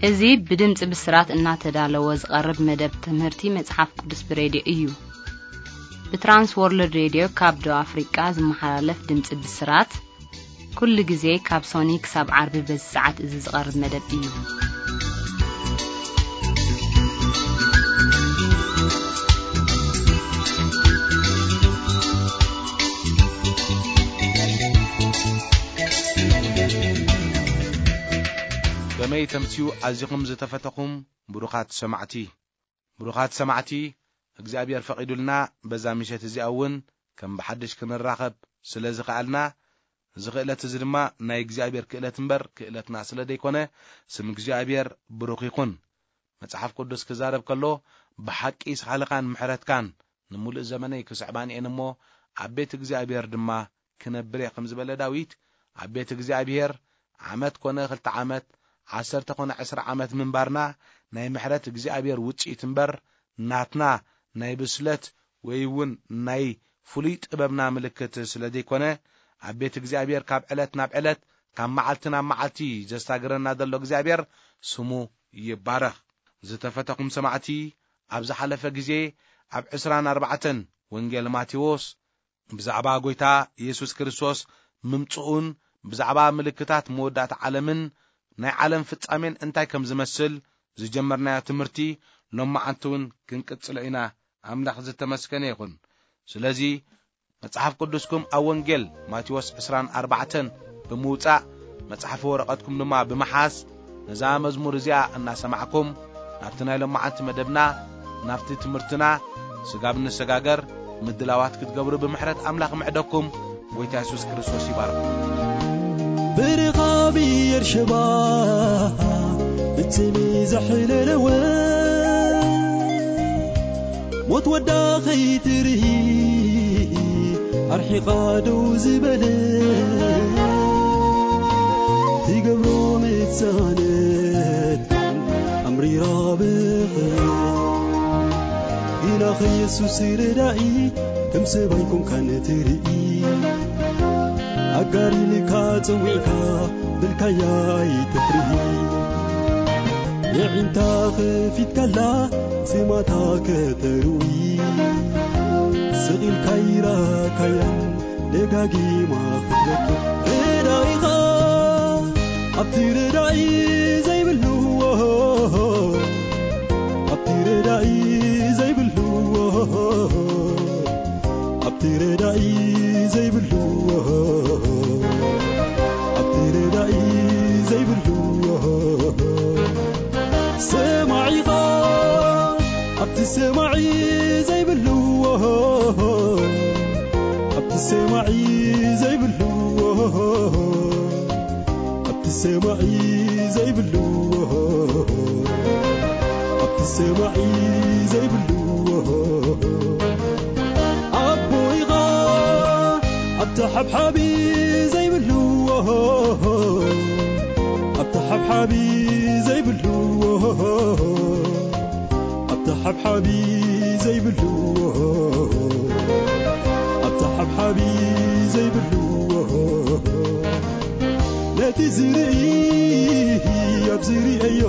እዚ ብድምፂ ብስራት እናተዳለወ ዝቐርብ መደብ ትምህርቲ መጽሓፍ ቅዱስ ብሬድዮ እዩ። ብትራንስ ወርልድ ሬድዮ ካብ ደቡብ ኣፍሪቃ ዝመሓላለፍ ድምፂ ብስራት፣ ኩሉ ግዜ ካብ ሶኒ ክሳብ ዓርቢ በዚ ሰዓት እዚ ዝቐርብ መደብ እዩ። ከመይ ተምስዩ ኣዚኹም ዝተፈተኹም ብሩኻት ሰማዕቲ። ብሩኻት ሰማዕቲ፣ እግዚኣብሔር ፈቒዱልና በዛ ምሸት እዚኣ እውን ከም ብሓድሽ ክንራኸብ ስለ ዝኸኣልና፣ እዚ ክእለት እዚ ድማ ናይ እግዚኣብሔር ክእለት እምበር ክእለትና ስለ ዘይኮነ፣ ስም እግዚኣብሔር ብሩኽ ይኹን። መጽሓፍ ቅዱስ ክዛረብ ከሎ፣ ብሓቂ ሳህልኻን ምሕረትካን ንምሉእ ዘመነይ ክስዕባን እየን እሞ፣ ኣብ ቤት እግዚኣብሔር ድማ ክነብር እየ ከም ዝበለ ዳዊት፣ ኣብ ቤት እግዚኣብሔር ዓመት ኮነ ክልተ ዓመት፣ ዓሰርተ ኮነ ዕስራ ዓመት ምንባርና ናይ ምሕረት እግዚኣብሔር ውጽኢት እምበር፣ ናትና ናይ ብስለት ወይ እውን ናይ ፍሉይ ጥበብና ምልክት ስለ ዘይኮነ፣ ኣብ ቤት እግዚኣብሔር ካብ ዕለት ናብ ዕለት፣ ካብ መዓልቲ ናብ መዓልቲ ዘሳግረና ዘሎ እግዚኣብሔር ስሙ ይባረኽ። ዝተፈተኹም ሰማዕቲ፣ ኣብ ዝሓለፈ ግዜ ኣብ ዕስራን ኣርባዕተን ወንጌል ማቴዎስ ብዛዕባ ጐይታ የሱስ ክርስቶስ ምምጽኡን ብዛዕባ ምልክታት መወዳእታ ዓለምን ናይ ዓለም ፍጻሜን እንታይ ከም ዝመስል ዝጀመርናዮ ትምህርቲ ሎማዓንቲ እውን ክንቅጽሎ ኢና። ኣምላኽ ዝተመስገነ ይኹን። ስለዚ መጽሓፍ ቅዱስኩም ኣብ ወንጌል ማቴዎስ ዕስራን ኣርባዕተን ብምውጻእ፣ መጽሓፊ ወረቐትኩም ድማ ብምሓዝ፣ ነዛ መዝሙር እዚኣ እናሰማዕኩም፣ ናብቲ ናይ ሎማዓንቲ መደብና፣ ናብቲ ትምህርትና፣ ስጋብ ንሰጋገር ምድላዋት ክትገብሩ ብምሕረት ኣምላኽ ምዕደኩም። ጐይታ የሱስ ክርስቶስ ይባርኩም። ብርኻ ብኤርሸባ ብትሚ ዘሕለለወ፣ ሞት ወዳ ኸይትርኢ ኣርሒቓ ደው ዝበለ፣ ትገብሮ ምጻነት ኣምሪራ ብኽብሪ። ግና ኸየሱስ ረዳኢ ከም ሰብ ኣይኮንካን ትርኢ። ኣጋር ኢልካ ጸዊዕካ ብልካያ ኣይትፍርሂ። የዒንታ ኸፊትካላ ስማታ ከተርዊ። ስቕ ኢልካ ይራካያን ደጋጊማ ክትረክብ። ረዳኢኻ ኣብቲ ረዳኢ ዘይብሉ፣ ኣብቲ ረዳኢ ዘይብሉ፣ ኣብቲ ረዳኢ ዘይብሉ፣ ኣብቲ ረዳኢ ዘይብሉ፣ ሰማዒኻ ኣብቲ ሰማዒ ዘይብሉ፣ ኣብቲ ሰማዒ ዘይብሉ፣ ኣብቲ ሰማዒ ዘይብሉ፣ ኣብቲ ሰማዒ ዘይብሉ፣ ኣቦይኻ ኣብቲ ሓብሓቢ ዘይብሉ፣ ኣብቲ ሓብሓቢ ዘይብሉ፣ ኣብቲ ሓብሓቢ ዘይብሉ፣ ኣብቲ ሓብሓቢ ዘይብሉ፣ ነቲ ዝርኢ ኣብ ዝርእዮ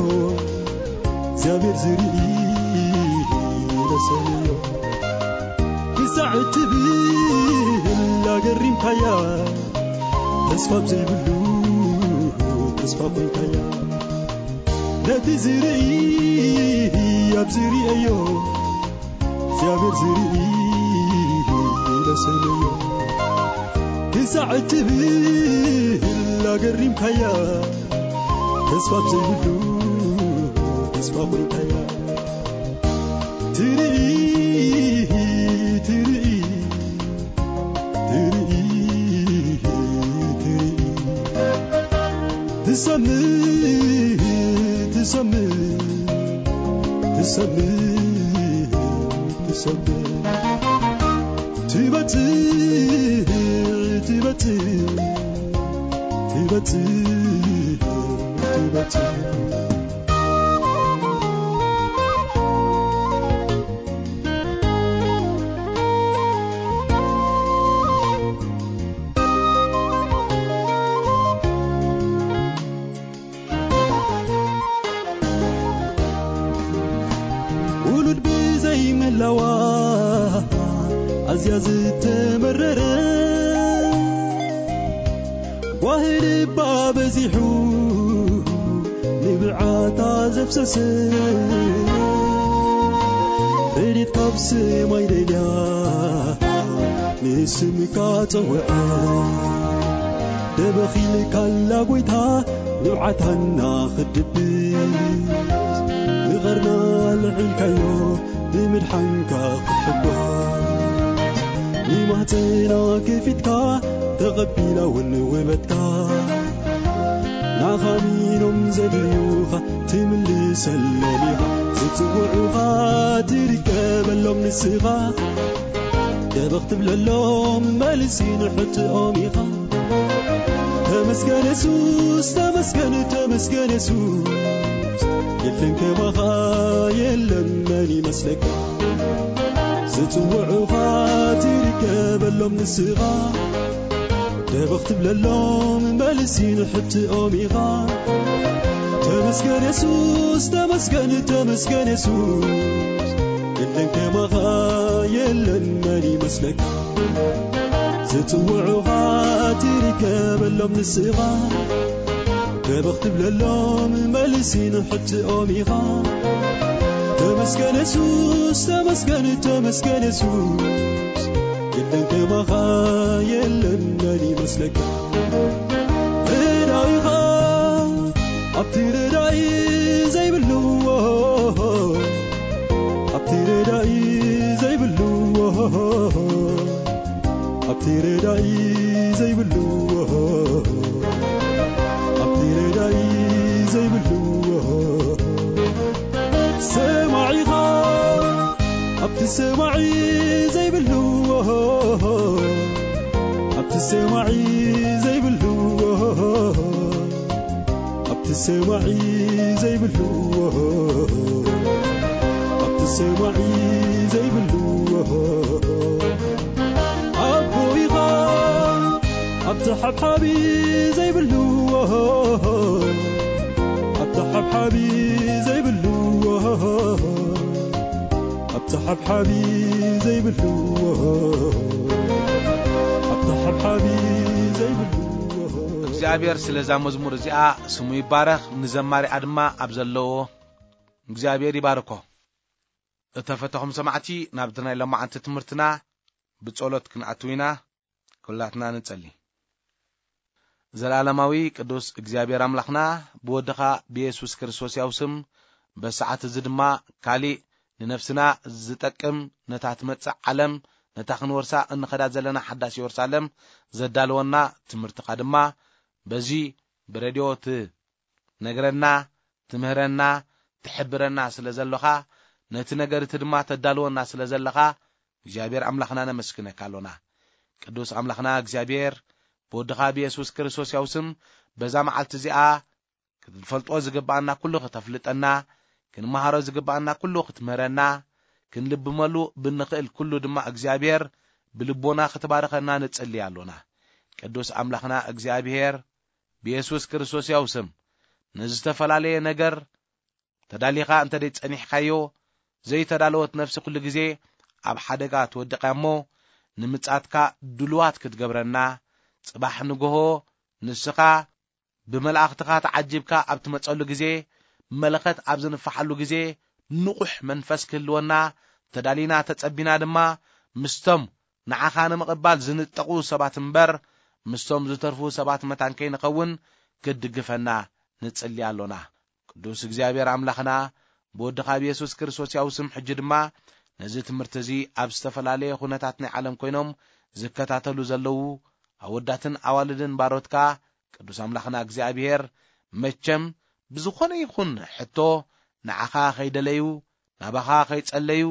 እግዚኣብሔር ዝርኢ ለሰብዮ። ክሳዕ እትብል ኣገሪምካያ፣ ተስፋ ኣብ ዘይብሉ ተስፋ ኮይንካያ። ነቲ ዝርኢ ኣብ ዝርእዮ እግዚኣብሔር ዝርኢ ለሰብዮ። ክሳዕ እትብል ኣገሪምካያ፣ ተስፋ ኣብ ዘይብሉ ተስፋ ኮይንካያ። ትርኢ፣ ትርኢ፣ ትርኢ፣ ትርኢ። ትሰምዕ፣ ትሰምዕ፣ ትሰምዕ፣ ትሰምዕ። ትበጽሕ፣ ትበጽሕ፣ ትበጽሕ፣ ትበጽሕ። ኣዋ ኣዝያ ዝተመረረ ጓሂ ልባ በዚሑ ንብዓታ ዘፍሰሰ ረድኤት ካብ ሰማይ ደልያ ንስምካ ጸውዐ ደበኺልካላ ጎይታ ንብዓታና ክድብስ ንቐርና ልዒልካዮ ብምድሓንካ ክትሕጎስ ንማህፀና ከፊትካ ተቐቢላ እውን ውበትካ ናኻ ሚኖም ዘድልዩኻ ትምልሰሎም ኢኻ ዝፅውዑኻ ትርከበሎም ንስኻ ደበኽ ትብለሎም መልሲ ንሕትኦም ኢኻ ተመስገን የሱስ ተመስገን ተመስገን የሱስ የለን ከማኻ የለን መን ይመስለካ ዝፅውዑኻ ትርከበሎም ንስኻ ደበኽ ትብለሎም መልሲ ንሕትኦም ኢኻ ተመስገን የሱስ ተመስገን ተመስገን የሱስ የለን ከማኻ የለን መን ይመስለካ ዝፅውዑኻ ትርከበሎም ንስኻ ደበኽ ትብለሎም መልሲ ንሕትኦም ኢኻ ተመስገን የሱስ ተመስገን ተመስገን የሱስ የለን ከማኻ የለን መን ይመስለካ ረዳኢኻ ኣብቲ ረዳኢ ዘይብሉ ኣብቲ ረዳኢ ዘይብሉ ኣብቲ ረዳኢ ዘይብሉ ኣብቲ ረዳኢ ዘይብሉ ሰማዒኻ ኣብቲ ሰማዒ ዘይብሉ ኣብቲ ሰማዒ ዘይብሉ ኣብቲ ሰማዒ ዘይብሉ ኣብቲ ሰማዒ ዘይብሉ ኣቦ ኢኻ ኣብቲ ሓብሓቢ ዘይብሉ ኣብቲ ሓብሓቢ ዘይብሉ ኣብቲ ሓብሓቢ ዘይብሉ ኣብቲ ሓብሓቢ ዘይብሉ እግዚኣብሔር ስለዛ መዝሙር እዚኣ ስሙ ይባረኽ። ንዘማሪኣ ድማ ኣብ ዘለዎ እግዚኣብሔር ይባርኮ። እተፈተኹም ሰማዕቲ ናብቲ ናይ ሎማዓንቲ ትምህርትና ብጸሎት ክንኣትው ኢና። ኩላትና ንጸሊ። ዘለዓለማዊ ቅዱስ እግዚኣብሔር ኣምላኽና ብወድኻ ብየሱስ ክርስቶስ ያው ስም በሰዓት እዚ ድማ ካሊእ ንነፍስና ዝጠቅም ነታ ትመጽእ ዓለም ነታ ክንወርሳ እንኸዳ ዘለና ሓዳስ የሩሳሌም ዘዳለወና ትምህርትኻ ድማ በዚ ብሬድዮ ትነግረና ትምህረና ትሕብረና ስለ ዘለኻ ነቲ ነገር እቲ ድማ ተዳልወና ስለ ዘለኻ እግዚኣብሔር ኣምላኽና ነመስግነካ ኣሎና። ቅዱስ ኣምላኽና እግዚኣብሔር ብወድኻ ብየሱስ ክርስቶስ ያው ስም በዛ መዓልቲ እዚኣ ክንፈልጦ ዝግብኣና ኩሉ ክተፍልጠና ክንመሃሮ ዝግብኣና ኩሉ ክትምህረና ክንልብመሉ ብንኽእል ኩሉ ድማ እግዚኣብሔር ብልቦና ክትባርኸና ንጽሊ ኣሎና። ቅዱስ ኣምላኽና እግዚኣብሔር ብየሱስ ክርስቶስ ያው ስም ንዝተፈላለየ ነገር ተዳሊኻ እንተ ደይ ጸኒሕካዮ ዘይተዳለወት ነፍሲ ኩሉ ግዜ ኣብ ሓደጋ ትወድቕ እያ እሞ ንምጻትካ ድሉዋት ክትገብረና ጽባሕ ንግሆ ንስኻ ብመላእኽትኻ ተዓጂብካ ኣብ ትመጸሉ ግዜ መለኸት ኣብ ዝንፋሓሉ ግዜ ንቑሕ መንፈስ ክህልወና ተዳሊና ተጸቢና ድማ ምስቶም ንዓኻ ንምቕባል ዝንጠቑ ሰባት እምበር ምስቶም ዝተርፉ ሰባት መታን ከይንኸውን ክትድግፈና ንጽሊ ኣሎና። ቅዱስ እግዚኣብሔር ኣምላኽና ብወድኻ ብየሱስ ክርስቶስ ያው ስም ሕጂ ድማ ነዚ ትምህርቲ እዚ ኣብ ዝተፈላለየ ኩነታት ናይ ዓለም ኮይኖም ዝከታተሉ ዘለዉ ኣወዳትን ኣዋልድን ባሮትካ ቅዱስ ኣምላኽና እግዚኣብሔር መቸም ብዝኾነ ይኹን ሕቶ ንዓኻ ከይደለዩ ናባኻ ከይጸለዩ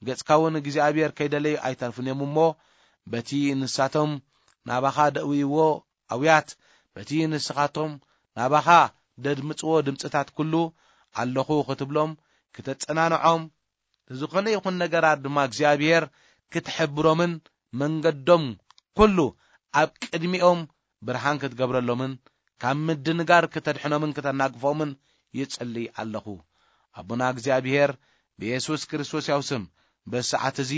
ገጽካ እውን እግዚኣብሔር ከይደለዩ ኣይተርፉን እዮም እሞ በቲ ንሳቶም ናባኻ ደእውይዎ ኣውያት በቲ ንስኻቶም ናባኻ ደድምጽዎ ድምጽታት ኩሉ ኣለኹ ክትብሎም ክተጸናንዖም ዝኾነ ይኹን ነገራት ድማ እግዚኣብሔር ክትሕብሮምን መንገዶም ኩሉ ኣብ ቅድሚኦም ብርሃን ክትገብረሎምን ካብ ምድንጋር ክተድሕኖምን ክተናግፎምን ይጽሊ ኣለኹ። ኣቦና እግዚኣብሔር ብየሱስ ክርስቶስ ያው ስም በዚ ሰዓት እዚ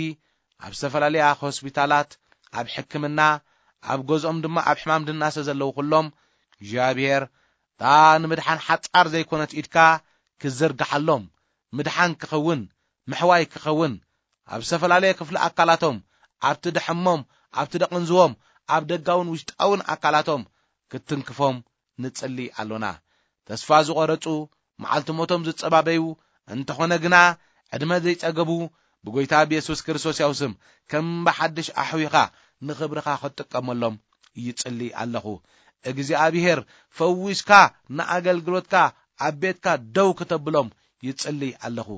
ኣብ ዝተፈላለያ ሆስፒታላት፣ ኣብ ሕክምና፣ ኣብ ገዝኦም ድማ ኣብ ሕማም ድናሰ ዘለዉ ኩሎም፣ እግዚኣብሔር እታ ንምድሓን ሓጻር ዘይኮነት ኢድካ ክዘርግሓሎም፣ ምድሓን ክኸውን፣ ምሕዋይ ክኸውን፣ ኣብ ዝተፈላለየ ክፍሊ ኣካላቶም፣ ኣብቲ ደሐሞም፣ ኣብቲ ደቕንዝዎም፣ ኣብ ደጋውን ውሽጣውን ኣካላቶም ክትትንክፎም ንጽሊ ኣሎና። ተስፋ ዝቖረጹ፣ መዓልቲ ሞቶም ዝጸባበዩ፣ እንተኾነ ግና ዕድመ ዘይጸገቡ፣ ብጎይታ ብየሱስ ክርስቶስ ያው ስም ከም ብሓድሽ ኣሕዊኻ ንኽብርኻ ክትጥቀመሎም ይጽሊ ኣለኹ። እግዚኣብሔር ፈዊስካ ንኣገልግሎትካ ኣብ ቤትካ ደው ክተብሎም ይጽሊ ኣለኹ።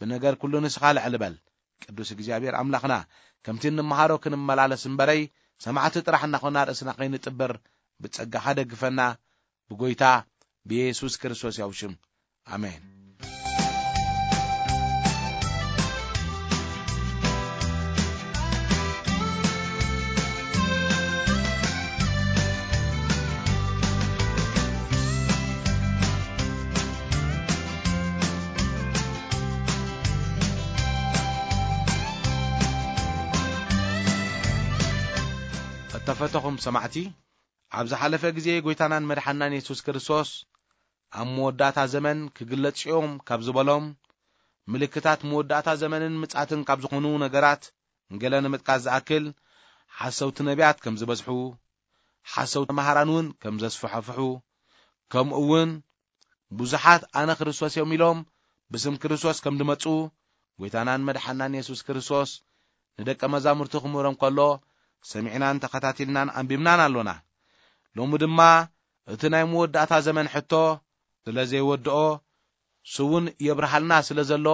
ብነገር ኩሉ ንስኻ ልዕል በል። ቅዱስ እግዚኣብሔር ኣምላኽና፣ ከምቲ እንመሃሮ ክንመላለስ እምበረይ፣ ሰማዕቲ ጥራሕ እናኾና ርእስና ከይንጥብር ብጸጋኻ ደግፈና፣ ብጎይታ ብየሱስ ክርስቶስ ያው ሽም። ኣሜን። እተፈተኹም ሰማዕቲ፣ ኣብ ዝሓለፈ ግዜ ጎይታናን መድሓናን የሱስ ክርስቶስ ኣብ መወዳእታ ዘመን ክግለጽ እዮም ካብ ዝበሎም ምልክታት መወዳእታ ዘመንን ምጻትን ካብ ዝኾኑ ነገራት ገለ ንምጥቃስ ዝኣክል፣ ሓሰውቲ ነቢያት ከም ዝበዝሑ፣ ሓሰውቲ መሃራን እውን ከም ዘስፈሐፍሑ፣ ከምኡ እውን ብዙሓት ኣነ ክርስቶስ እዮም ኢሎም ብስም ክርስቶስ ከም ዝመጹ፣ ጎይታናን መድሓናን የሱስ ክርስቶስ ንደቀ መዛሙርቱ ክምህሮም ከሎ ሰሚዕናን ተኸታቲልናን ኣንቢብናን ኣሎና። ሎሚ ድማ እቲ ናይ መወዳእታ ዘመን ሕቶ ስለ ዘይወድኦ፣ ስውን የብርሃልና ስለ ዘሎ፣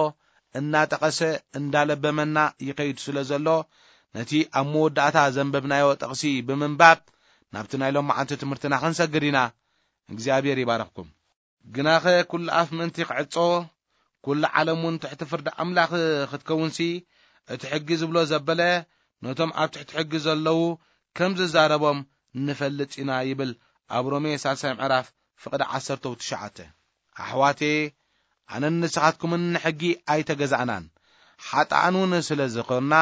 እናጠቐሰ እንዳለበመና ይኸይድ ስለ ዘሎ፣ ነቲ ኣብ መወዳእታ ዘንበብናዮ ጥቕሲ ብምንባብ ናብቲ ናይ ሎማዓንቲ ትምህርትና ክንሰግድ ኢና። እግዚኣብሔር ይባርኽኩም። ግናኸ ኩሉ ኣፍ ምእንቲ ክዕጾ፣ ኩሉ ዓለም እውን ትሕቲ ፍርዲ ኣምላኽ ክትከውንሲ፣ እቲ ሕጊ ዝብሎ ዘበለ ነቶም ኣብ ትሕቲ ሕጊ ዘለዉ ከም ዝዛረቦም ንፈልጥ ኢና ይብል ኣብ ሮሜ ሳልሳይ ምዕራፍ ፍቕዲ ዓሰርተው ትሽዓተ። ኣሕዋቴ፣ ኣነን ንስኻትኩምን ንሕጊ ኣይተገዛእናን፣ ሓጥኣን እውን ስለ ዝኾንና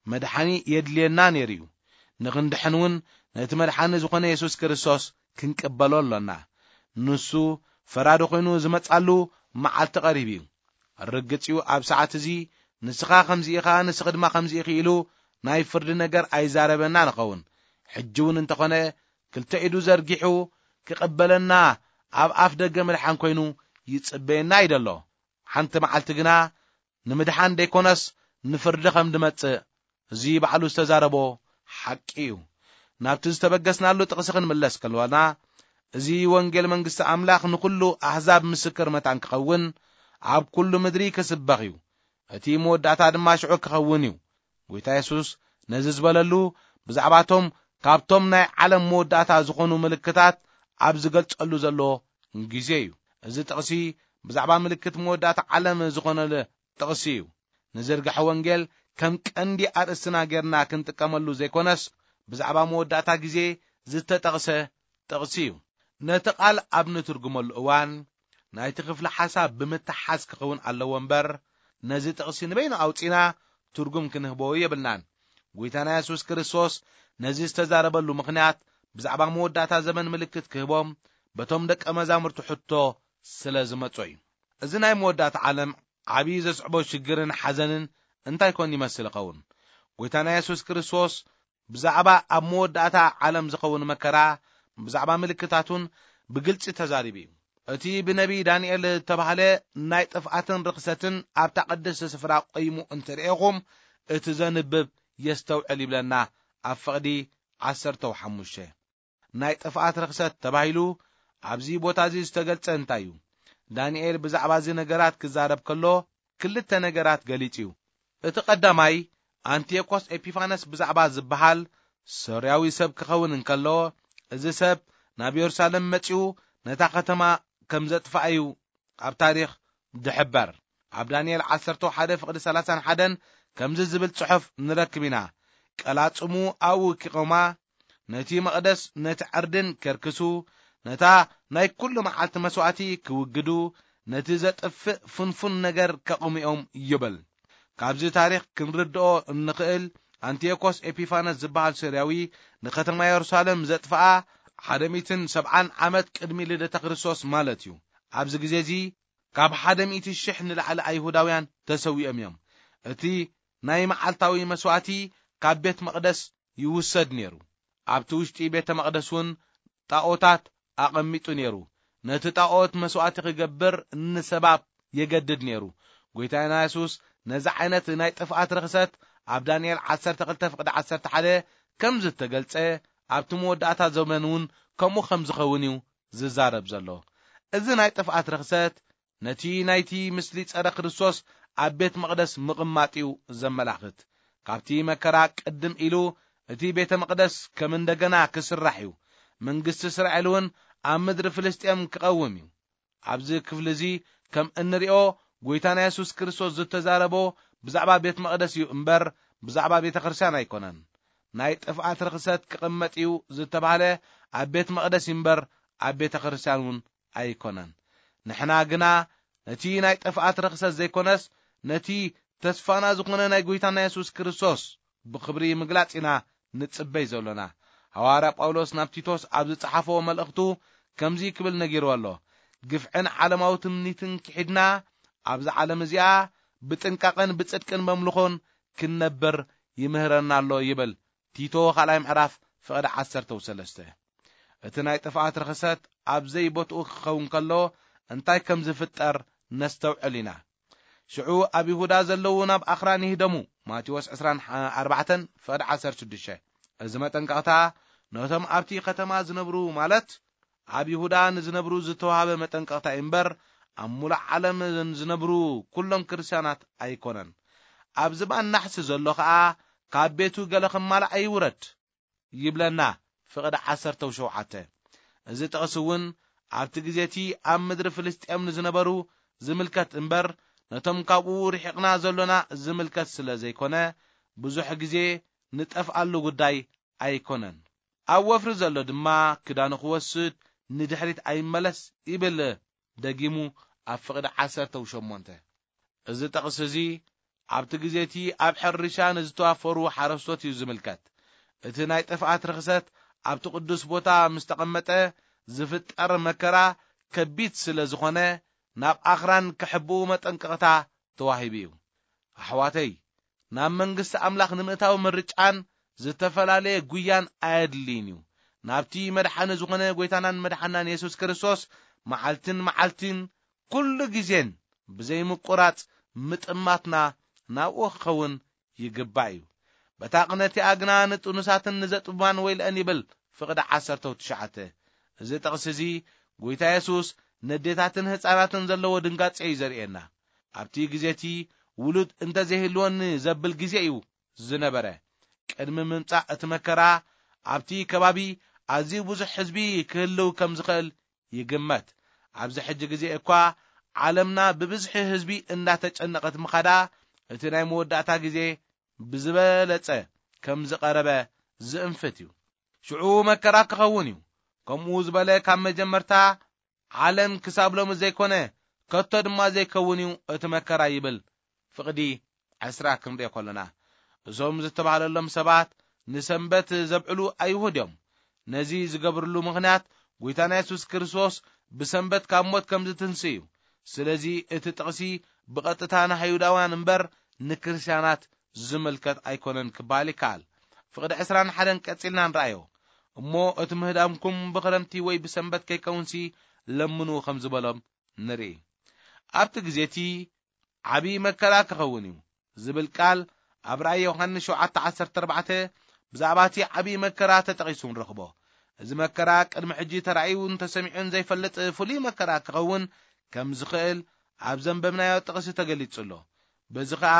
መድሓኒ የድልየና ነይሩ እዩ። ንኽንድሕን እውን ነቲ መድሓኒ ዝኾነ የሱስ ክርስቶስ ክንቅበሎ ኣሎና። ንሱ ፈራዲ ኮይኑ ዝመጻሉ መዓልቲ ቀሪቡ እዩ። ርግጽ እዩ፣ ኣብ ሰዓት እዚ ንስኻ ከምዚ ኢኻ፣ ንስኺ ድማ ከምዚ ኢኺ ኢሉ ናይ ፍርዲ ነገር ኣይዛረበና ንኸውን። ሕጂ እውን እንተኾነ ክልተ ኢዱ ዘርጊሑ ክቕበለና ኣብ ኣፍ ደገ ምድሓን ኮይኑ ይጽበየና እዩ ዘሎ። ሓንቲ መዓልቲ ግና ንምድሓን ደይኮነስ ንፍርዲ ከም ድመጽእ እዚ ባዕሉ ዝተዛረቦ ሓቂ እዩ። ናብቲ ዝተበገስናሉ ጥቕሲ ክንምለስ ከለና፣ እዚ ወንጌል መንግስቲ ኣምላኽ ንኹሉ ኣህዛብ ምስክር መታን ክኸውን፣ ኣብ ኩሉ ምድሪ ክስበኽ እዩ። እቲ መወዳእታ ድማ ሽዑ ክኸውን እዩ። ጎይታ የሱስ ነዚ ዝበለሉ፣ ብዛዕባቶም ካብቶም ናይ ዓለም መወዳእታ ዝኾኑ ምልክታት ኣብ ዝገልጸሉ ዘሎ ግዜ እዩ። እዚ ጥቕሲ ብዛዕባ ምልክት መወዳእታ ዓለም ዝኾነሉ ጥቕሲ እዩ። ንዝርግሐ ወንጌል ከም ቀንዲ ኣርእስትና ጌርና ክንጥቀመሉ ዘይኮነስ፣ ብዛዕባ መወዳእታ ግዜ ዝተጠቕሰ ጥቕሲ እዩ። ነቲ ቃል ኣብ ንትርጉመሉ እዋን፣ ናይቲ ክፍሊ ሓሳብ ብምትሓዝ ክኸውን ኣለዎ እምበር፣ ነዚ ጥቕሲ ንበይኑ ኣውጺና ትርጉም ክንህቦ የብልናን። ጎይታና የሱስ ክርስቶስ ነዚ ዝተዛረበሉ ምኽንያት፣ ብዛዕባ መወዳእታ ዘመን ምልክት ክህቦም በቶም ደቀ መዛሙርቱ ሕቶ ስለ ዝመጾ እዩ። እዚ ናይ መወዳእታ ዓለም ዓብዪ ዘስዕቦ ሽግርን ሓዘንን እንታይ ኮን ይመስል ይኸውን? ጎይታና የሱስ ክርስቶስ ብዛዕባ ኣብ መወዳእታ ዓለም ዝኸውን መከራ፣ ብዛዕባ ምልክታቱን ብግልጺ ተዛሪቡ እዩ። እቲ ብነቢይ ዳንኤል ዝተባህለ ናይ ጥፍኣትን ርኽሰትን ኣብታ ቅድስቲ ስፍራ ቆይሙ እንተርእኹም፣ እቲ ዘንብብ የስተውዕል ይብለና ኣብ ፍቕዲ ዓሰርተው ሓሙሽተ። ናይ ጥፍኣት ርኽሰት ተባሂሉ ኣብዚ ቦታ እዚ ዝተገልጸ እንታይ እዩ? ዳንኤል ብዛዕባ እዚ ነገራት ክዛረብ ከሎ ክልተ ነገራት ገሊጹ እዩ። እቲ ቀዳማይ፣ ኣንቲዮኮስ ኤፒፋነስ ብዛዕባ ዝበሃል ሶርያዊ ሰብ ክኸውን እንከሎ፣ እዚ ሰብ ናብ የሩሳሌም መጺኡ ነታ ከተማ ከም ዘጥፍኣ እዩ ኣብ ታሪኽ ዝሕበር። ኣብ ዳንኤል ዓሰርተ ሓደ ፍቕዲ ሰላሳን ሓደን ከምዚ ዝብል ጽሑፍ ንረክብ ኢና። ቀላጽሙ ኣብኡ ኪቖማ፣ ነቲ መቕደስ ነቲ ዕርድን ከርክሱ፣ ነታ ናይ ኩሉ መዓልቲ መስዋእቲ ክውግዱ፣ ነቲ ዘጥፍእ ፍንፉን ነገር ከቑምኦም ይብል። ካብዚ ታሪኽ ክንርድኦ እንኽእል፣ ኣንቲዮኮስ ኤፒፋነስ ዝበሃል ሶርያዊ ንከተማ የሩሳሌም ዘጥፍኣ ሓደ ሚእትን ሰብዓን ዓመት ቅድሚ ልደተ ክርስቶስ ማለት እዩ። ኣብዚ ግዜ እዚ ካብ ሓደ ሚእቲ ሽሕ ንላዕሊ ኣይሁዳውያን ተሰዊኦም እዮም። እቲ ናይ መዓልታዊ መስዋዕቲ ካብ ቤት መቕደስ ይውሰድ ነይሩ። ኣብቲ ውሽጢ ቤተ መቕደስ እውን ጣኦታት ኣቐሚጡ ነይሩ። ነቲ ጣኦት መስዋዕቲ ክገብር ንሰባት የገድድ ነይሩ። ጎይታና የሱስ ነዚ ዓይነት ናይ ጥፍኣት ርኽሰት ኣብ ዳንኤል ዓሰርተ ክልተ ፍቕዲ ዓሰርተ ሓደ ከም ዝተገልጸ፣ ኣብቲ መወዳእታ ዘመን እውን ከምኡ ከም ዝኸውን እዩ ዝዛረብ ዘሎ። እዚ ናይ ጥፍኣት ርኽሰት ነቲ ናይቲ ምስሊ ጸረ ክርስቶስ ኣብ ቤት መቕደስ ምቕማጥ እዩ ዘመላኽት። ካብቲ መከራ ቅድም ኢሉ እቲ ቤተ መቕደስ ከም እንደገና ክስራሕ እዩ። መንግስቲ እስራኤል እውን ኣብ ምድሪ ፍልስጤም ክቐውም እዩ። ኣብዚ ክፍሊ እዚ ከም እንሪኦ፣ ጎይታና የሱስ ክርስቶስ ዝተዛረቦ ብዛዕባ ቤት መቕደስ እዩ እምበር ብዛዕባ ቤተ ክርስቲያን ኣይኮነን። ናይ ጥፍኣት ርኽሰት ክቕመጥ እዩ ዝተባህለ ኣብ ቤት መቕደስ እዩ እምበር ኣብ ቤተ ክርስቲያን እውን ኣይኮነን። ንሕና ግና ነቲ ናይ ጥፍኣት ርኽሰት ዘይኮነስ፣ ነቲ ተስፋና ዝኾነ ናይ ጎይታና የሱስ ክርስቶስ ብኽብሪ ምግላጽ ኢና ንጽበይ ዘሎና። ሃዋርያ ጳውሎስ ናብ ቲቶስ ኣብ ዝጸሓፎ መልእኽቱ ከምዚ ክብል ነጊርዎ ኣሎ፣ "ግፍዕን ዓለማዊ ትምኒትን ክሒድና፣ ኣብዛ ዓለም እዚኣ ብጥንቃቐን ብጽድቅን መምልኾን ክንነብር ይምህረና ኣሎ" ይብል። ቲቶ ካልኣይ ምዕራፍ ፍቕዲ ዓሰርተ ሰለስተ። እቲ ናይ ጥፍኣት ርኽሰት ኣብ ዘይቦትኡ ክኸውን ከሎ እንታይ ከም ዝፍጠር ነስተውዕል ኢና። ሽዑ ኣብ ይሁዳ ዘለዉ ናብ ኣኽራን ይህደሙ። ማቴዎስ ዕስራን ኣርባዕተን ፍቕዲ ዓሰርተ ሽዱሽተ። እዚ መጠንቀቕታ ነቶም ኣብቲ ከተማ ዝነብሩ፣ ማለት ኣብ ይሁዳ ንዝነብሩ ዝተዋህበ መጠንቀቕታ እዩ እምበር፣ ኣብ ሙሉእ ዓለም ዝነብሩ ኩሎም ክርስትያናት ኣይኮነን። ኣብ ዝባን ናሕሲ ዘሎ ኸኣ ካብ ቤቱ ገለ ክማላእ ኣይውረድ ይብለና ፍቕዲ ዓሰርተ ሸውዓተ። እዚ ጥቕሲ እውን ኣብቲ ግዜ እቲ ኣብ ምድሪ ፍልስጤም ንዝነበሩ ዝምልከት እምበር፣ ነቶም ካብኡ ርሒቕና ዘሎና ዝምልከት ስለ ዘይኮነ፣ ብዙሕ ግዜ ንጠፍኣሉ ጉዳይ ኣይኮነን። ኣብ ወፍሪ ዘሎ ድማ ክዳኑ ክወስድ ንድሕሪት ኣይመለስ ይብል ደጊሙ ኣብ ፍቕዲ ዓሰርተ ሸሞንተ። እዚ ጥቕሲ እዚ ኣብቲ ግዜ እቲ ኣብ ሕርሻ ንዝተዋፈሩ ሓረስቶት እዩ ዝምልከት። እቲ ናይ ጥፍኣት ርኽሰት ኣብቲ ቅዱስ ቦታ ምስ ተቐመጠ ዝፍጠር መከራ ከቢድ ስለ ዝኾነ፣ ናብ ኣኽራን ክሕብኡ መጠንቀቕታ ተዋሂቡ እዩ። ኣሕዋተይ፣ ናብ መንግስቲ ኣምላኽ ንምእታው ምርጫን ዝተፈላለየ ጉያን ኣየድልይን እዩ። ናብቲ መድሓኒ ዝኾነ ጎይታናን መድሓናን የሱስ ክርስቶስ መዓልትን መዓልትን ኩሉ ግዜን ብዘይምቁራጽ ምጥማትና ናብኡ ክኸውን ይግባእ እዩ። በታ ቅነ እቲኣ ግና ንጥኑሳትን ንዘጥባን ወይልአን ይብል ፍቕዲ ዓሰርተ ትሽዓተ። እዚ ጥቕሲ እዚ ጎይታ የሱስ ነዴታትን ህፃናትን ዘለዎ ድንጋጼ እዩ ዘርእየና። ኣብቲ ግዜ እቲ ውሉድ እንተዘይህልወኒ ዘብል ግዜ እዩ ዝነበረ። ቅድሚ ምምጻእ እቲ መከራ ኣብቲ ከባቢ ኣዝዩ ብዙሕ ህዝቢ ክህልው ከም ዝኽእል ይግመት። ኣብዚ ሕጂ ግዜ እኳ ዓለምና ብብዝሒ ህዝቢ እንዳተጨነቐት ምኻዳ፣ እቲ ናይ መወዳእታ ግዜ ብዝበለጸ ከም ዝቐረበ ዝእንፍት እዩ። ሽዑ መከራ ክኸውን እዩ። ከምኡ ዝበለ ካብ መጀመርታ ዓለም ክሳብ ሎሚ ዘይኮነ፣ ከቶ ድማ ዘይከውን እዩ እቲ መከራ ይብል። ፍቕዲ ዕስራ ክንሪኦ ከሎና፣ እዞም ዝተባህለሎም ሰባት ንሰንበት ዘብዕሉ ኣይሁድ እዮም። ነዚ ዝገብርሉ ምኽንያት፣ ጎይታና የሱስ ክርስቶስ ብሰንበት ካብ ሞት ከም ዝትንስእ እዩ። ስለዚ እቲ ጥቕሲ ብቐጥታ ንኣይሁዳውያን እምበር ንክርስትያናት ዝምልከት ኣይኮነን ክበሃል ይከኣል። ፍቕዲ ዕስራን ሓደን ቀጺልና ንረኣዮ። እሞ እቲ ምህዳምኩም ብኽረምቲ ወይ ብሰንበት ከይከውንሲ ለምኑ ከም ዝበሎም ንርኢ። ኣብቲ ግዜ እቲ ዓብዪ መከራ ክኸውን እዩ ዝብል ቃል ኣብ ራእይ ዮሃንስ ሸውዓተ ዓሰርተ ኣርባዕተ ብዛዕባ እቲ ዓብዪ መከራ ተጠቒሱ ንረኽቦ። እዚ መከራ ቅድሚ ሕጂ ተራእዩን ተሰሚዑን ዘይፈልጥ ፍሉይ መከራ ክኸውን ከም ዝኽእል ኣብ ዘንበብናዮ ጥቕሲ ተገሊጹ ኣሎ። በዚ ኸኣ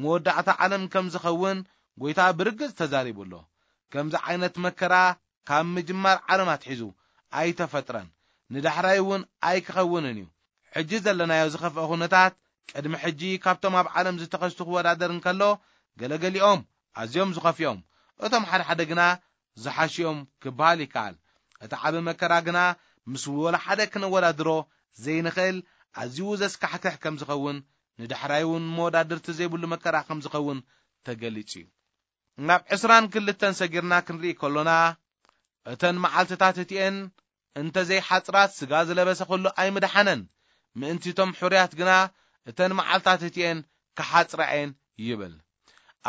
መወዳእታ ዓለም ከም ዝኸውን ጐይታ ብርግጽ ተዛሪቡ ኣሎ። ከምዚ ዓይነት መከራ ካብ ምጅማር ዓለም ኣትሒዙ ኣይተፈጥረን፣ ንዳሕራይ እውን ኣይክኸውንን እዩ። ሕጂ ዘለናዮ ዝኸፍአ ኩነታት ቅድሚ ሕጂ ካብቶም ኣብ ዓለም ዝተኸስቱ ክወዳደር እንከሎ፣ ገለገሊኦም ኣዝዮም ዝኸፍኦም፣ እቶም ሓደ ሓደ ግና ዝሓሽኦም ክበሃል ይከኣል። እቲ ዓቢ መከራ ግና ምስ ወላ ሓደ ክነወዳድሮ ዘይንኽእል ኣዝዩ ዘስካሕክሕ ከም ዝኸውን ንዳሕራይ እውን መወዳድርቲ ዘይብሉ መከራ ከም ዝኸውን ተገሊጹ እዩ። ናብ ዕስራን ክልተን ሰጊርና ክንርኢ ከሎና፣ እተን መዓልትታት እቲኤን እንተ ዘይሓጽራት፣ ስጋ ዝለበሰ ኩሉ ኣይምድሓነን፣ ምእንቲ እቶም ሕሩያት ግና እተን መዓልታት እቲኤን ክሓጽራ እየን ይብል።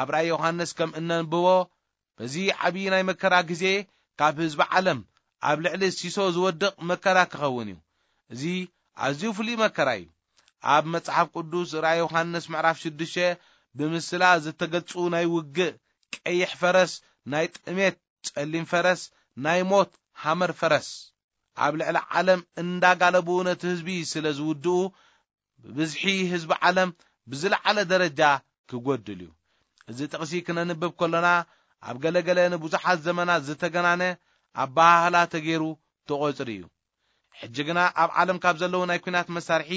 ኣብ ራእይ ዮሃንስ ከም እነንብቦ፣ በዚ ዓብዪ ናይ መከራ ግዜ ካብ ህዝቢ ዓለም ኣብ ልዕሊ ሲሶ ዝወድቕ መከራ ክኸውን እዩ። እዚ ኣዝዩ ፍሉይ መከራ እዩ። ኣብ መጽሓፍ ቅዱስ ራእይ ዮሃንስ ምዕራፍ ሽዱሽተ ብምስላ ዝተገልጹ ናይ ውግእ ቀይሕ ፈረስ፣ ናይ ጥሜት ጸሊም ፈረስ፣ ናይ ሞት ሃመር ፈረስ፣ ኣብ ልዕሊ ዓለም እንዳጋለቡ ነቲ ህዝቢ ስለ ዝውድኡ፣ ብብዝሒ ህዝቢ ዓለም ብዝለዓለ ደረጃ ክጎድል እዩ። እዚ ጥቕሲ ክነንብብ ከሎና፣ ኣብ ገለገለ ንብዙሓት ዘመናት ዝተገናነ ኣበሃህላ ተገይሩ ተቖጽሩ እዩ። ሕጂ ግና ኣብ ዓለም ካብ ዘለዉ ናይ ኲናት መሳርሒ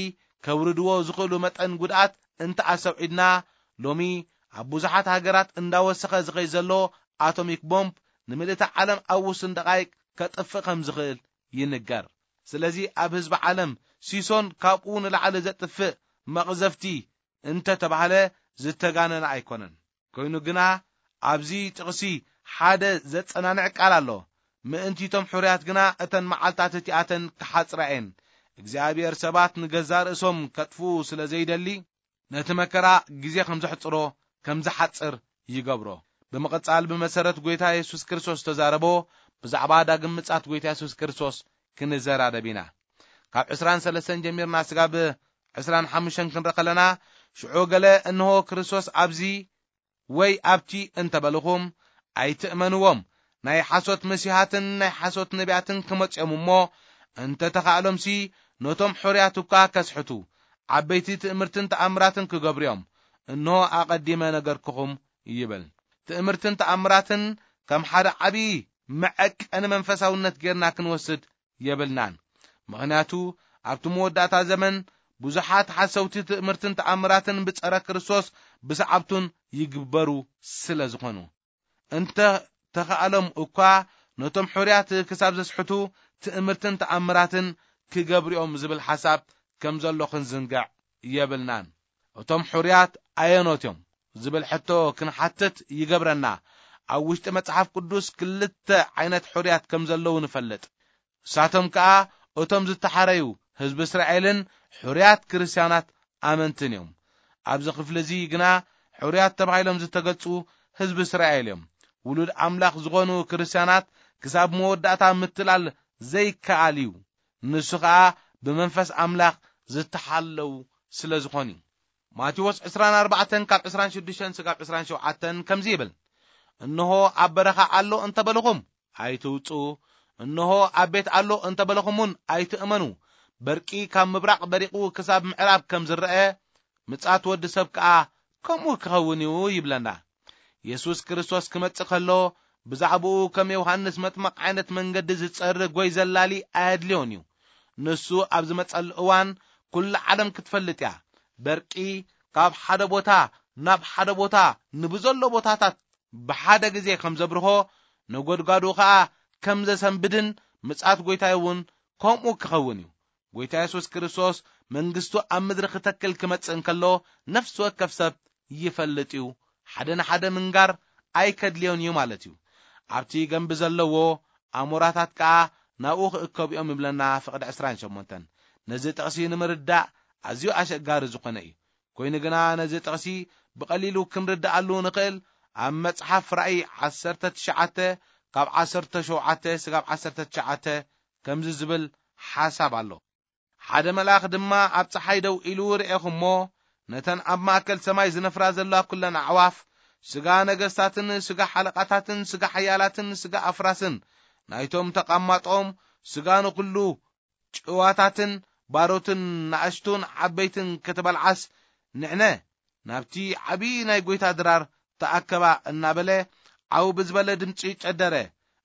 ከውርድዎ ዝኽእሉ መጠን ጉድኣት እንተ ኣሰውዒድና፣ ሎሚ ኣብ ብዙሓት ሃገራት እንዳወሰኸ ዝኸይ ዘሎ ኣቶሚክ ቦምብ ንምልእቲ ዓለም ኣብ ውሱን ደቓይቅ ከጥፍእ ከም ዝኽእል ይንገር። ስለዚ ኣብ ህዝቢ ዓለም ሲሶን ካብኡ ንላዕሊ ዘጥፍእ መቕዘፍቲ እንተ ተባህለ ዝተጋነነ ኣይኮነን። ኮይኑ ግና ኣብዚ ጥቕሲ ሓደ ዘጸናንዕ ቃል ኣሎ። ምእንቲ እቶም ሕሩያት ግና እተን መዓልታት እቲኣተን ክሓጽራ እየን። እግዚኣብሔር ሰባት ንገዛእ ርእሶም ከጥፍኡ ስለ ዘይደሊ፣ ነቲ መከራ ግዜ ከም ዘሕጽሮ፣ ከም ዝሓጽር ይገብሮ። ብምቕጻል ብመሰረት ጐይታ የሱስ ክርስቶስ ዝተዛረቦ ብዛዕባ ዳግም ምጻት ጐይታ የሱስ ክርስቶስ ክንዘራረብ ኢና። ካብ ዕስራን ሰለስተን ጀሚርና ስጋብ ዕስራን ሓሙሽተን ክንርኢ ከለና፣ ሽዑ ገለ እንሆ ክርስቶስ ኣብዚ ወይ ኣብቲ እንተበልኹም ኣይትእመንዎም። ናይ ሓሶት መሲሓትን ናይ ሓሶት ነቢያትን ክመጽኦም እሞ እንተ ተኻእሎምሲ ነቶም ሕሩያት እኳ ከስሕቱ፣ ዓበይቲ ትእምርትን ተኣምራትን ክገብሩ እዮም። እንሆ ኣቐዲመ ነገርኩኹም ይብል። ትእምርትን ተኣምራትን ከም ሓደ ዓብዪ መዐቀኒ መንፈሳውነት ጌርና ክንወስድ የብልናን። ምኽንያቱ ኣብቲ መወዳእታ ዘመን ብዙሓት ሓሰውቲ ትእምርትን ተኣምራትን ብጸረ ክርስቶስ ብሰዓብቱን ይግበሩ ስለ ዝኾኑ። እንተ ተኻእሎም እኳ ነቶም ሕሩያት ክሳብ ዘስሕቱ ትእምርትን ተኣምራትን ክገብርኦም ዝብል ሓሳብ ከም ዘሎ ክንዝንግዕ የብልናን። እቶም ሕሩያት ኣየኖት እዮም ዝብል ሕቶ ክንሓትት ይገብረና። ኣብ ውሽጢ መጽሓፍ ቅዱስ ክልተ ዓይነት ሕሩያት ከም ዘለዉ ንፈልጥ። እሳቶም ከኣ እቶም ዝተሓረዩ ህዝቢ እስራኤልን ሕሩያት ክርስትያናት ኣመንትን እዮም። ኣብዚ ክፍሊ እዚ ግና ሕሩያት ተባሂሎም ዝተገልጹ ህዝቢ እስራኤል እዮም። ውሉድ ኣምላኽ ዝኾኑ ክርስትያናት ክሳብ መወዳእታ ምትላል ዘይከኣል እዩ። ንሱ ኸኣ ብመንፈስ ኣምላኽ ዝተሓለዉ ስለ ዝኾኑ እዩ። ማቴዎስ ዕስራን ኣርባዕተን ካብ ዕስራን ሽዱሽተን ስጋብ ዕስራን ሸውዓተን ከምዚ ይብል፣ እንሆ ኣብ በረኻ ኣሎ እንተበልኹም ኣይትውጹ፣ እንሆ ኣብ ቤት ኣሎ እንተበልኹም እውን ኣይትእመኑ። በርቂ ካብ ምብራቕ በሪቑ ክሳብ ምዕራብ ከም ዝረአ፣ ምጻት ወዲ ሰብ ከኣ ከምኡ ክኸውን እዩ ይብለና። የሱስ ክርስቶስ ክመጽእ ከሎ ብዛዕባኡ ከም ዮሃንስ መጥመቕ ዓይነት መንገዲ ዝጸርግ ወይ ዘላሊ ኣየድልዮን እዩ። ንሱ ኣብ ዝመጸሉ እዋን ኩላ ዓለም ክትፈልጥ እያ። በርቂ ካብ ሓደ ቦታ ናብ ሓደ ቦታ ንብዘሎ ቦታታት ብሓደ ግዜ ከም ዘብርሆ፣ ነጎድጓዱ ኸኣ ከም ዘሰንብድን ምጽኣት ጐይታይ እውን ከምኡ ክኸውን እዩ። ጐይታ የሱስ ክርስቶስ መንግስቱ ኣብ ምድሪ ክተክል ክመጽእ እንከሎ ነፍሲ ወከፍ ሰብ ይፈልጥ እዩ። ሓደ ንሓደ ምንጋር ኣይከድልዮን እዩ ማለት እዩ። ኣብቲ ገንቢ ዘለዎ ኣሞራታት ከኣ ናብኡ ክእከቡ እዮም ይብለና ፍቕዲ ዕስራን ሸሞንተን። ነዚ ጥቕሲ ንምርዳእ ኣዝዩ ኣሸጋሪ ዝኾነ እዩ። ኮይኑ ግና ነዚ ጥቕሲ ብቐሊሉ ክንርድኣሉ ንኽእል ኣብ መጽሓፍ ራእይ ዓሰርተ ትሽዓተ ካብ ዓሰርተ ሸውዓተ ስጋብ ዓሰርተ ትሽዓተ ከምዚ ዝብል ሓሳብ ኣሎ። ሓደ መልኣኽ ድማ ኣብ ጸሓይ ደው ኢሉ ርኤኹ እሞ፣ ነተን ኣብ ማእከል ሰማይ ዝነፍራ ዘለዋ ኵለን ኣዕዋፍ፣ ስጋ ነገስታትን ስጋ ሓለቓታትን ስጋ ሓያላትን ስጋ ኣፍራስን ናይቶም ተቐማጦም፣ ስጋ ንኹሉ ጭዋታትን ባሮትን ናእሽቱን ዓበይትን ክትበልዓስ፣ ንዕነ ናብቲ ዓብዪ ናይ ጐይታ ድራር ተኣከባ እናበለ ዓው ብዝበለ ድምጺ ጨደረ።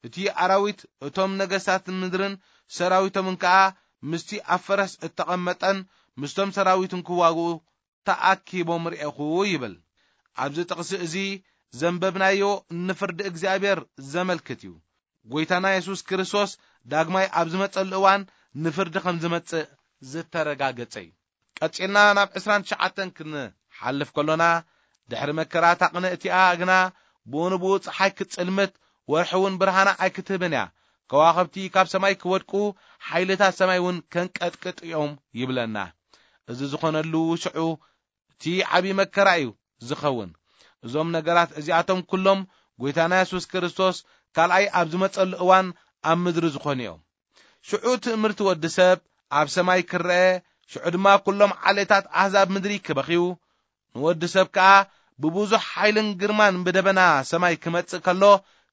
እቲ ኣራዊት፣ እቶም ነገስታት ምድርን ሰራዊቶምን ከኣ ምስቲ ኣብ ፈረስ እተቐመጠን ምስቶም ሰራዊቱን ክዋግኡ ተኣኪቦም ርኤኹ ይብል። ኣብዚ ጥቕሲ እዚ ዘንበብናዮ ንፍርዲ እግዚኣብሔር ዘመልክት እዩ። ጐይታና የሱስ ክርስቶስ ዳግማይ ኣብ ዝመጸሉ እዋን ንፍርዲ ከም ዝመጽእ ዝተረጋገጸ እዩ። ቀጺልና ናብ ዕስራን ትሽዓተን ክንሓልፍ ከሎና፣ ድሕሪ መከራ እታ ቅንእቲኣ ግና ብኡ ንብኡ ጸሓይ ክትጽልምት፣ ወርሒ እውን ብርሃና ኣይክትህብን እያ። ከዋኽብቲ ካብ ሰማይ ክወድቁ፣ ሓይልታት ሰማይ እውን ከንቀጥቅጡ እዮም ይብለና። እዚ ዝኾነሉ ሽዑ እቲ ዓቢ መከራ እዩ ዝኸውን። እዞም ነገራት እዚኣቶም ኩሎም ጎይታና የሱስ ክርስቶስ ካልኣይ ኣብ ዝመጸሉ እዋን ኣብ ምድሪ ዝኾኑ እዮም። ሽዑ ትእምርቲ ወዲ ሰብ ኣብ ሰማይ ክረአ፣ ሽዑ ድማ ኩሎም ዓሌታት ኣህዛብ ምድሪ ክበኽዩ፣ ንወዲ ሰብ ከኣ ብብዙሕ ሓይልን ግርማን ብደበና ሰማይ ክመጽእ ከሎ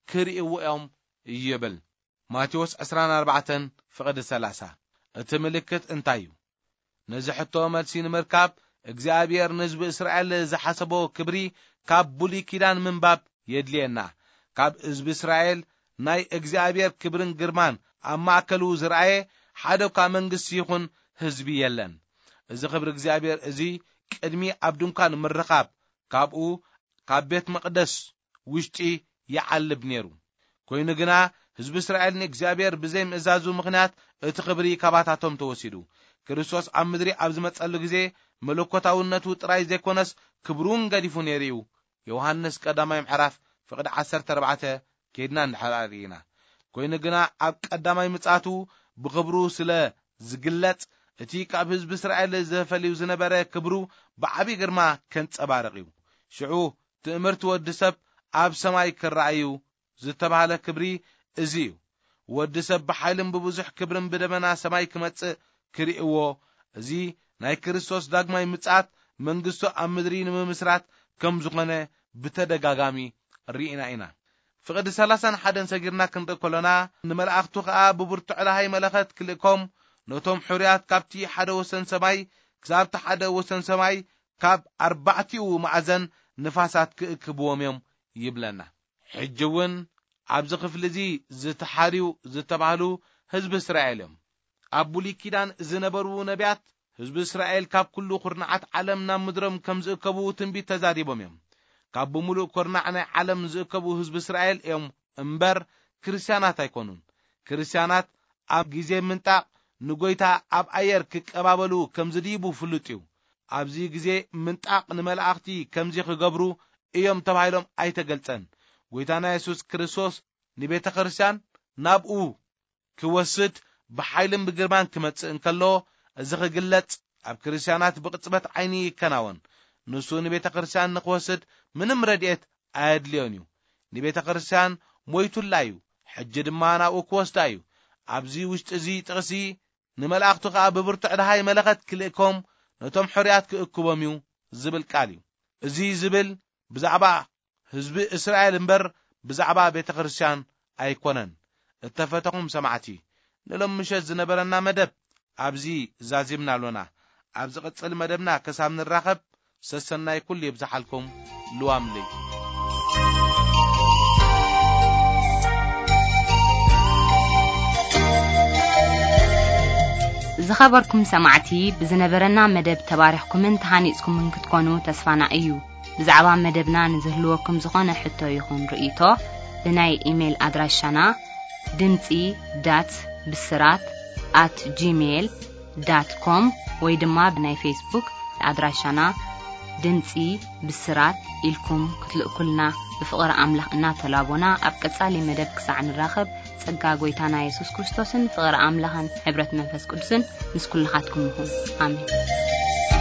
ክርእይዎ እዮም ይብል። ማቴዎስ ዕስራን ኣርባዕተን ፍቕዲ ሰላሳ። እቲ ምልክት እንታይ እዩ? ነዚ ሕቶ መልሲ ንምርካብ፣ እግዚኣብሔር ንህዝቢ እስራኤል ዝሓሰቦ ክብሪ ካብ ብሉይ ኪዳን ምንባብ የድልየና። ካብ ህዝቢ እስራኤል ናይ እግዚኣብሔር ክብርን ግርማን ኣብ ማእከሉ ዝረኣየ ሓደ እኳ መንግስቲ ይኹን ህዝቢ የለን። እዚ ክብሪ እግዚኣብሔር እዚ ቅድሚ ኣብ ድንኳን ምርኻብ ካብኡ ካብ ቤት መቕደስ ውሽጢ ይዓልብ ነይሩ። ኮይኑ ግና ህዝቢ እስራኤል ንእግዚኣብሔር ብዘይ ምእዛዙ ምኽንያት እቲ ክብሪ ካባታቶም ተወሲዱ። ክርስቶስ ኣብ ምድሪ ኣብ ዝመጸሉ ግዜ መለኮታውነቱ ጥራይ ዘይኮነስ ክብሩን ገዲፉ ነይሩ እዩ። ዮሃንስ ቀዳማይ ምዕራፍ ፍቕዲ ዓሰርተ ኣርባዕተ ኬድና እንድሕር ኣርኢና። ኮይኑ ግና ኣብ ቀዳማይ ምጽኣቱ ብኽብሩ ስለ ዝግለጽ እቲ ካብ ህዝቢ እስራኤል ዘፈልዩ ዝነበረ ክብሩ ብዓቢ ግርማ ከንጸባርቕ እዩ። ሽዑ ትእምርቲ ወዲ ሰብ ኣብ ሰማይ ክረኣዩ ዝተባህለ ክብሪ እዚ እዩ። ወዲ ሰብ ብሓይልን ብብዙሕ ክብርን ብደመና ሰማይ ክመጽእ ክርእይዎ፣ እዚ ናይ ክርስቶስ ዳግማይ ምጽኣት መንግስቱ ኣብ ምድሪ ንምምስራት ከም ዝኾነ ብተደጋጋሚ ርኢና ኢና። ፍቕዲ ሰላሳን ሓደን ሰጊርና ክንርኢ ከሎና፣ ንመላእኽቱ ኸኣ ብብርቱዕ ደሃይ መለኸት ክልእኮም፣ ነቶም ሕሩያት ካብቲ ሓደ ወሰን ሰማይ ክሳብቲ ሓደ ወሰን ሰማይ ካብ ኣርባዕቲኡ ማዕዘን ንፋሳት ክእክብዎም እዮም ይብለና። ሕጂ እውን ኣብዚ ክፍሊ እዚ ዝተሓርዩ ዝተባህሉ ህዝቢ እስራኤል እዮም። ኣብ ብሉይ ኪዳን ዝነበሩ ነቢያት ህዝቢ እስራኤል ካብ ኩሉ ኩርናዓት ዓለም ናብ ምድሮም ከም ዝእከቡ ትንቢት ተዛሪቦም እዮም። ካብ ብምሉእ ኩርናዕ ናይ ዓለም ዝእከቡ ህዝቢ እስራኤል እዮም እምበር ክርስትያናት ኣይኮኑን። ክርስትያናት ኣብ ግዜ ምንጣቕ ንጎይታ ኣብ ኣየር ክቀባበሉ ከም ዝድይቡ ፍሉጥ እዩ። ኣብዚ ግዜ ምንጣቕ ንመላእኽቲ ከምዚ ክገብሩ እዮም ተባሂሎም ኣይተገልጸን። ጎይታና የሱስ ክርስቶስ ንቤተ ክርስትያን ናብኡ ክወስድ ብሓይልን ብግርማን ክመጽእ እንከሎ፣ እዚ ክግለጽ ኣብ ክርስትያናት ብቕጽበት ዓይኒ ይከናወን። ንሱ ንቤተ ክርስትያን ንክወስድ ምንም ረድኤት ኣየድልዮን እዩ። ንቤተ ክርስትያን ሞይቱላ እዩ፣ ሕጂ ድማ ናብኡ ክወስዳ እዩ። ኣብዚ ውሽጢ እዚ ጥቕሲ ንመላእኽቱ ኸኣ ብብርቱዕ ደሃይ መለኸት ክልእኮም ነቶም ሕሩያት ክእክቦም እዩ ዝብል ቃል እዩ። እዚ ዝብል ብዛዕባ ህዝቢ እስራኤል እምበር ብዛዕባ ቤተ ክርስትያን ኣይኮነን። እተፈተኹም ሰማዕቲ፣ ንሎም ምሸት ዝነበረና መደብ ኣብዚ ዛዚምና ኣሎና። ኣብ ዝቕጽል መደብና ክሳብ ንራኸብ ሰሰናይ ኩሉ ይብዝሓልኩም። ልዋም ለይቲ። ዝኸበርኩም ሰማዕቲ፣ ብዝነበረና መደብ ተባሪኽኩምን ተሃኒጽኩምን ክትኮኑ ተስፋና እዩ። ብዛዕባ መደብና ንዝህልወኩም ዝኾነ ሕቶ ይኹን ርእይቶ፣ ብናይ ኢሜይል ኣድራሻና ድምጺ ዳት ብስራት ኣት ጂሜይል ዳት ኮም ወይ ድማ ብናይ ፌስቡክ ኣድራሻና ድምጺ ብስራት ኢልኩም ክትልእኩልና ብፍቕሪ ኣምላኽ እናተላቦና፣ ኣብ ቀጻሊ መደብ ክሳዕ ንራኸብ፣ ጸጋ ጐይታና የሱስ ክርስቶስን ፍቕሪ ኣምላኽን ሕብረት መንፈስ ቅዱስን ምስ ኩልኻትኩም ይኹን። ኣሜን።